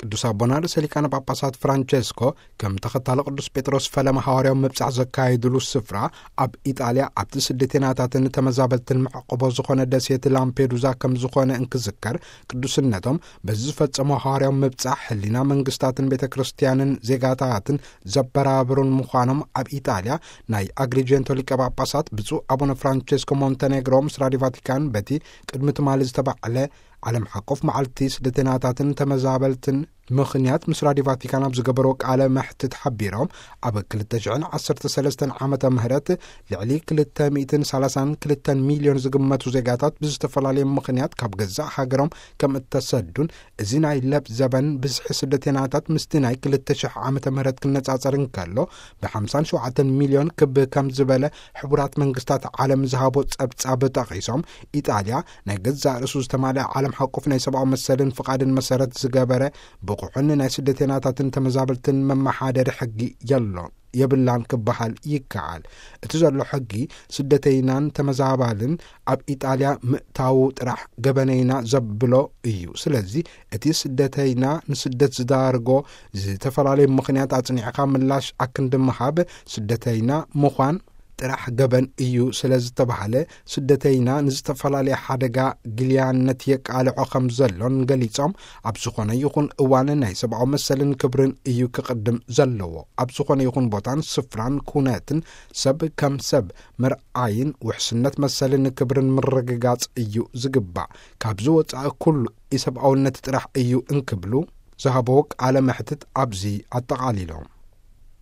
ቅዱስ ኣቦና ርእሰ ሊቃነ ጳጳሳት ፍራንቸስኮ ከም ተኸታሊ ቅዱስ ጴጥሮስ ፈለማ ሃዋርያዊ ምብጻሕ ዘካየድሉ ስፍራ ኣብ ኢጣልያ ኣብቲ ስደተናታትን ተመዛበልትን መዕቆቦ ዝኾነ ደሴት ላምፔዱዛ ከም ዝኾነ እንክዝከር፣ ቅዱስነቶም በዚ ዝፈጸሞ ሃዋርያዊ ምብጻሕ ህሊና መንግስታትን ቤተ ክርስቲያንን ዜጋታትን ዘበራብሩን ምዃኖም ኣብ ኢጣልያ ናይ ኣግሪጀንቶ ሊቀ ጳጳሳት ብፁዕ ኣቡነ ፍራንቸስኮ ሞንተኔግሮ ምስ ራዲዮ ቫቲካን በቲ ቅድሚ ትማሊ ዝተባዕለ ዓለም ሓቆፍ መዓልቲ ስደተናታትን ተመዛበልትን ምኽንያት ምስ ራዲዮ ቫቲካን ኣብ ዝገበርዎ ቃለ መሕትት ሓቢሮም፣ ኣብ ክልተ ሽሕን ዓሰርተ ሰለስተን ዓመተ ምህረት ልዕሊ ክልተ ሚእትን ሰላሳን ክልተን ሚልዮን ዝግመቱ ዜጋታት ብዝተፈላለየ ምኽንያት ካብ ገዛእ ሃገሮም ከም እተሰዱን፣ እዚ ናይ ለብ ዘበን ብዝሒ ስደተናታት ምስቲ ናይ ክልተ ሽሕ ዓመተ ምህረት ክነጻጸር እንከሎ ብሓምሳን ሸውዓተን ሚልዮን ክብ ከም ዝበለ ሕቡራት መንግስታት ዓለም ዝሃቦ ጸብጻብ ጠቒሶም፣ ኢጣልያ ናይ ገዛእ ርእሱ ዝተማልአ ዓለም ሓቆፍ ናይ ሰብኣዊ መሰልን ፍቓድን መሰረት ዝገበረ ብቑሕን ናይ ስደተናታትን ተመዛበልትን መመሓደሪ ሕጊ የሎን የብላን ክበሃል ይከኣል። እቲ ዘሎ ሕጊ ስደተይናን ተመዛባልን ኣብ ኢጣልያ ምእታዉ ጥራሕ ገበነይና ዘብሎ እዩ። ስለዚ እቲ ስደተይና ንስደት ዝዳርጎ ዝተፈላለዩ ምኽንያት ኣጽኒዕካ ምላሽ ኣክንዲ ምሃብ ስደተይና ምዃን ጥራሕ ገበን እዩ ስለ ዝተባህለ፣ ስደተይና ንዝተፈላለየ ሓደጋ ግልያነት የቃልዖ ከም ዘሎን ገሊጾም፣ ኣብ ዝኾነ ይኹን እዋን ናይ ሰብኣዊ መሰልን ክብርን እዩ ክቕድም ዘለዎ። ኣብ ዝኾነ ይኹን ቦታን ስፍራን ኩነትን ሰብ ከም ሰብ ምርኣይን ውሕስነት መሰልን ክብርን ምርግጋጽ እዩ ዝግባእ። ካብዚ ወጻኢ ኩሉ ኢሰብኣውነት ጥራሕ እዩ እንክብሉ ዝሃበዎ ቃለ መሕትት ኣብዚ ኣጠቓሊሎም።